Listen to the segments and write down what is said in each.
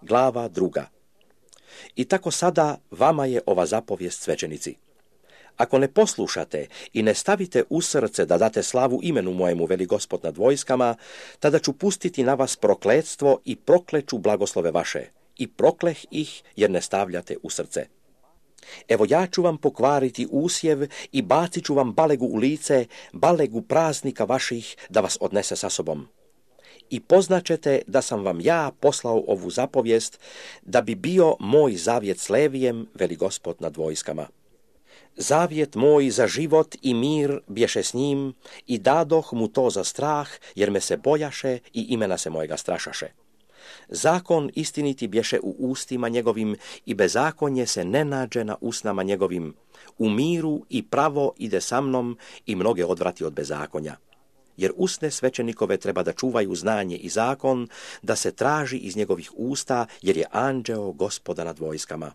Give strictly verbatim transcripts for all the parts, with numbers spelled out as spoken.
glava druga. I tako sada vama je ova zapovijest, svećenici. Ako ne poslušate i ne stavite u srce da date slavu imenu mojemu, veli Gospod nad vojskama, tada ću pustiti na vas prokletstvo i prokleću blagoslove vaše. I prokleh ih jer ne stavljate u srce. Evo ja ću vam pokvariti usjev i bacit ću vam balegu u lice, balegu praznika vaših da vas odnese sa sobom. I poznaćete da sam vam ja poslao ovu zapovijest da bi bio moj zavjet s Levijem, veli Gospod nad vojskama. Zavjet moj za život i mir bješe s njim i dadoh mu to za strah, jer me se bojaše i imena se mojega strašaše. Zakon istiniti bješe u ustima njegovim i bezakonje se ne nađe na usnama njegovim. U miru i pravo ide sa mnom i mnoge odvrati od bezakonja. Jer usne svećenikove treba da čuvaju znanje i zakon, da se traži iz njegovih usta, jer je anđeo Gospoda nad vojskama.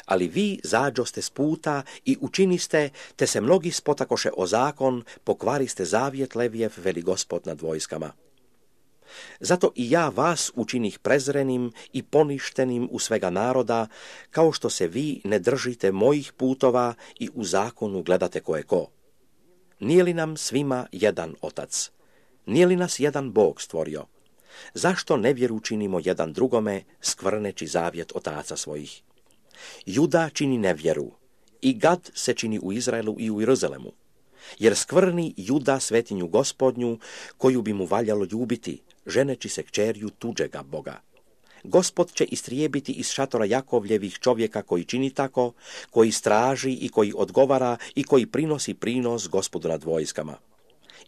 Ali vi zađoste s puta i učiniste, te se mnogi spotakoše o zakon, pokvariste zavjet Levijev, veli Gospod nad vojskama. Zato i ja vas učinih prezrenim i poništenim u svega naroda, kao što se vi ne držite mojih putova i u zakonu gledate ko je ko. Nije li nam svima jedan otac? Nije li nas jedan Bog stvorio? Zašto nevjeru činimo jedan drugome, skvrneći zavjet otaca svojih? Juda čini nevjeru, i Gad se čini u Izraelu i u Jeruzalemu, jer skvrni Juda svetinju Gospodnju, koju bi mu valjalo ljubiti, ženeći se kćerju tuđega Boga. Gospod će istrijebiti iz šatora Jakovljevih čovjeka koji čini tako, koji straži i koji odgovara i koji prinosi prinos Gospodu nad vojskama.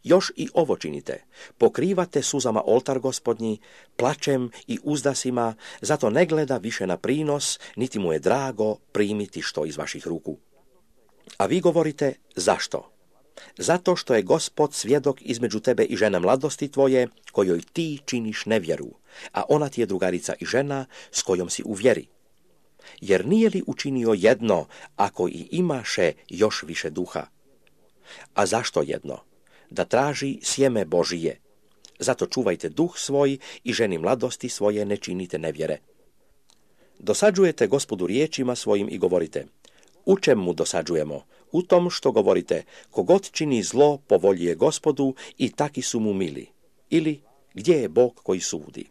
Još i ovo činite, pokrivate suzama oltar Gospodnji, plačem i uzdasima, zato ne gleda više na prinos, niti mu je drago primiti što iz vaših ruku. A vi govorite, zašto? Zato što je Gospod svjedok između tebe i žene mladosti tvoje, kojoj ti činiš nevjeru, a ona ti je drugarica i žena s kojom si u vjeri. Jer nije li učinio jedno, ako i imaše još više duha? A zašto jedno? Da traži sjeme Božije. Zato čuvajte duh svoj i ženi mladosti svoje ne činite nevjere. Dosađujete Gospodu riječima svojim i govorite, u čem mu dosađujemo? U tom što govorite, kogod čini zlo po volji je Gospodu i taki su mu mili. Ili, gdje je Bog koji sudi?